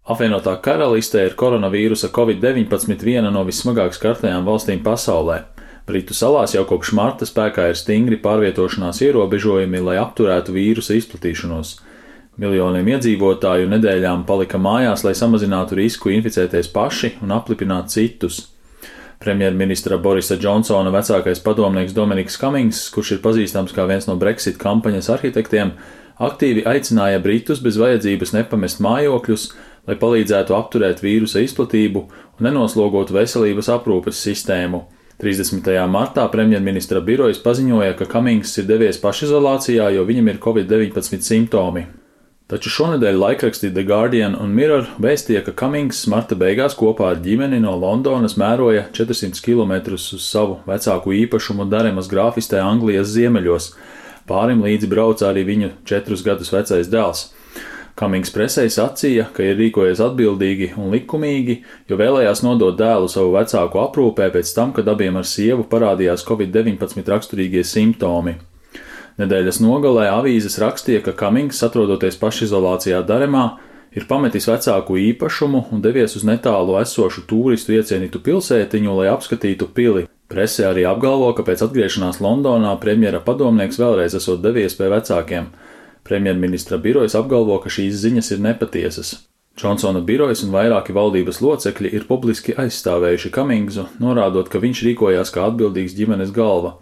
Apvienotā karalistē ir koronavīrusa Covid-19 viena no vissmagāk skartajām valstīm pasaulē. Britu salās jau kopš marta spēkā ir stingri pārvietošanās ierobežojumi, lai apturētu vīrusa izplatīšanos. Miljoniem iedzīvotāju nedēļām palika mājās, lai samazinātu risku inficēties paši un aplipināt citus. Premjerministra Borisa Džonsona vecākais padomnieks Dominiks Kamings, kurš ir pazīstams kā viens no Brexit kampaņas arhitektiem, aktīvi aicināja Britus bez vajadzības nepamest mājokļus, lai palīdzētu apturēt vīrusa izplatību un nenoslogotu veselības aprūpes sistēmu. 30. martā premjerministra birojas paziņoja, ka Kamings ir devies pašizolācijā, jo viņam ir Covid-19 simptomi. Taču šonedēļ laikraksti The Guardian un Mirror vēstīja, ka Kamings marta beigās kopā ar ģimeni no Londonas mēroja 400 km uz savu vecāku īpašumu Daremas grāfistē Anglijas ziemeļos. Pārim līdzi brauca arī viņu 4 gadus vecais dēls. Kamings presei sacīja, ka ir rīkojies atbildīgi un likumīgi, jo vēlējās nodot dēlu savu vecāku aprūpē pēc tam, kad abiem ar sievu parādījās Covid-19 raksturīgie simptomi. Nedēļas nogalē avīzes rakstīja, ka Kamings, atrodoties pašizolācijā Daremā, ir pametis vecāku īpašumu un devies uz netālu esošu tūristu iecienītu pilsētiņu, lai apskatītu pili. Prese arī apgalvo, ka pēc atgriešanās Londonā premjera padomnieks vēlreiz esot devies pie vecākiem. Premjerministra birojas apgalvo, ka šīs ziņas ir nepatiesas. Džonsona birojas un vairāki valdības locekļi ir publiski aizstāvējuši Kamingsu, norādot, ka viņš rīkojās kā atbildīgs ģimenes galva.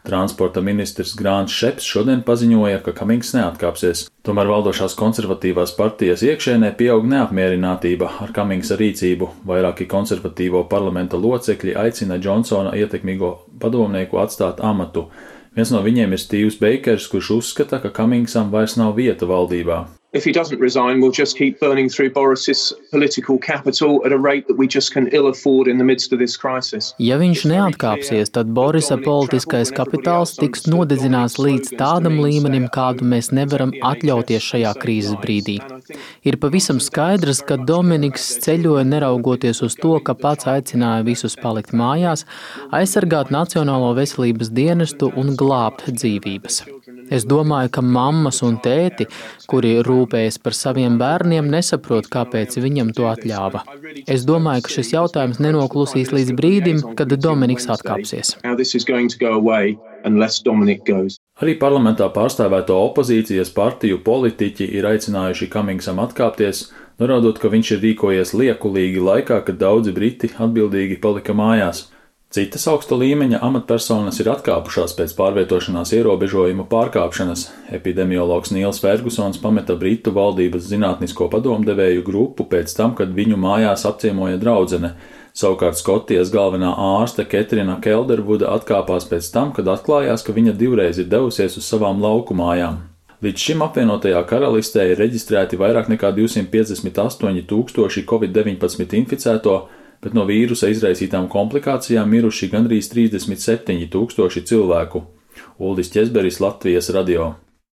Transporta ministrs Grants Šeps šodien paziņoja, ka Kamings neatkāpsies. Tomēr valdošās konservatīvās partijas iekšēnē pieaug neapmierinātība ar Kamingsa rīcību. Vairāki konservatīvo parlamenta locekļi aicina Džonsona ietekmīgo padomnieku atstāt amatu. Viens no viņiem ir Stīvs Beikers, kurš uzskata, ka Kamingsam vairs nav vieta valdībā. If he doesn't resign, we'll just keep burning through Boris's political capital at a rate that we just can ill afford in the midst of this crisis. Ja viņš neatkāpsies, tad Borisa politiskais kapitāls tiks nodedzināts līdz tādam līmenim, kādu mēs nevaram atļauties šajā krīzes brīdī. Ir pavisam skaidrs, ka Dominiks ceļoja neraugoties uz to, ka pats aicināja visus palikt mājās, aizsargāt Nacionālo veselības dienestu un glābt dzīvības. Es domāju, ka mammas un tēti, kuri rūpējas par saviem bērniem, nesaprot, kāpēc viņam to atļāva. Es domāju, ka šis jautājums nenoklusīs līdz brīdim, kad Dominiks atkāpsies. Arī parlamentā pārstāvēto opozīcijas partiju politiķi ir aicinājuši Kamingsam atkāpties, norādot, ka viņš ir rīkojies liekulīgi laikā, kad daudzi briti atbildīgi palika mājās. Citas augsta līmeņa amatpersonas ir atkāpušās pēc pārvietošanās ierobežojumu pārkāpšanas. Epidemiologs Nils Fergusons pameta Britu valdības zinātnisko padomdevēju grupu pēc tam, kad viņu mājās apciemoja draudzene. Savukārt Skotijas galvenā ārste Ketrina Keldervuda atkāpās pēc tam, kad atklājās, ka viņa divreiz ir devusies uz savām lauku mājām. Līdz šim apvienotajā karalistē ir reģistrēti vairāk nekā 258 000 Covid-19 inficēto, bet no vīrusa izraisītām komplikācijām miruši gandrīz 37 000 cilvēku. Uldis Ķezberis, Latvijas radio.